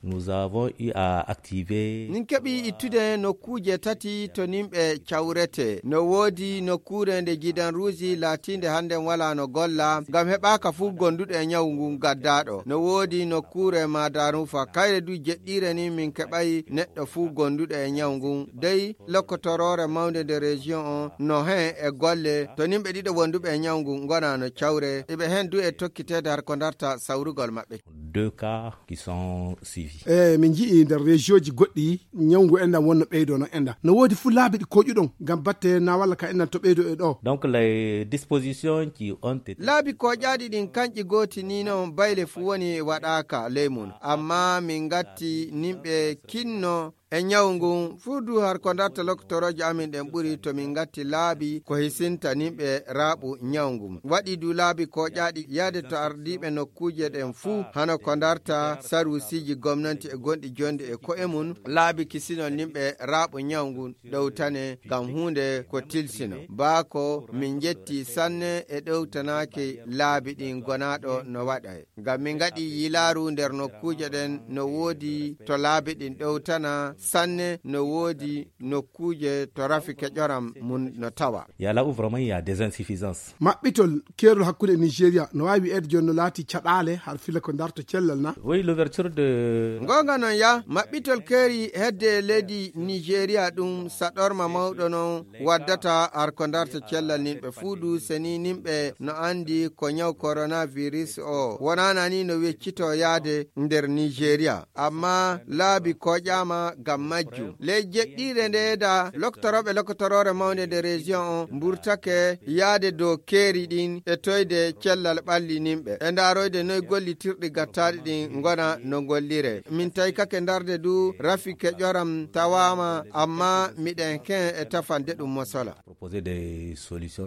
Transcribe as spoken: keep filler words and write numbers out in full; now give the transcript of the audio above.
Nous avons eu à activer. Min keɓi ittude nokkuuje tati to nimɓe cawrete. No woodi nokkuure nde gidan ruuji laatiinde hannden walaa no golla, ngam heɓaaka fuu gonduɗo e nyawu ngun gaddaaɗo. No woodi nokkuure Madarufa, kayre du jeɗɗiire ni min keɓay neɗɗo fuu gonduɗo e nyawu ngun. Dey lokotoroore mawnde nde région on no hen e golle to nimɓe ɗiɗo wonduɓe e nyawu ngun ngona no cawre. Iɓe hen du e tokkiteede har ko darta sawrugol maɓɓe. Deux cas qui sont suivis. E min nji'i nder région ji goɗɗi nyawu ngu enɗam wonno ɓeydo no enɗam. No woodi fuu laabi ɗi koƴuɗon ngam batte na walla ka enɗam to ɓeydo e ɗo. Donc les dispositions qui ont été. Laabi koƴaaɗi ɗin kanƴi gooti ni non bayle fuu woni waɗaaka ley mun. Amma min ngatti nimɓe kinno e nyawu ngun fuu du har ko darta lokotorooje amin ɗen ɓuri to min ngatti laabi ko hisinta nimɓe raaɓu nyawu ngun. Waɗi du laabi koƴaaɗi yaade to ardiiɓe nokkuuje ɗen fuu hano ko darta sarusiiji gomnanti e gonɗi jonde e ko'e mun laabi kisinol nimɓe raaɓu nyawu ngun ɗowtane ngam huunde ko tilsino. Baa ko min njetti sanne e ɗowtanaaki laabi ɗin gonaaɗo no waɗa. Ngam min ngaɗi yilaaru nder nokkuuje ɗen no woodi to laabi ɗin ɗowtana sanne no woodi nokkuuje to rafi keƴoram mun no tawa. Il y a là où vraiment il y a des insuffisances. Maɓɓitol keerol hakkunde Nigeria no waawi wi'eede jooni no laati caɗaale har fila ko darto cellal na. Oui, l'ouverture de. Ngonga non ya, maɓɓitol keeri hedde leydi Nigeria ɗum saɗorma mawɗo non waddata har ko darta cellal nimɓe fuu du seni nimɓe no anndi ko nyaw coronavirus o wonana ni no weccito yaade nder Nigeria. Amma laabi koƴaama ngam majjum. Ley jeɗɗiire nde da loktorooɓe lokotoroore mawnde nde région on mburtake yaade dow keeri ɗin e toyde cellal ɓalli nimɓe. E ndaaroyde noy gollitirɗi gattaaɗi ɗin ngona no gollire. Min taykake ndarde du rafi keƴoram tawaama amma miɗen ken e tafande ɗum mosola. Proposer des solutions.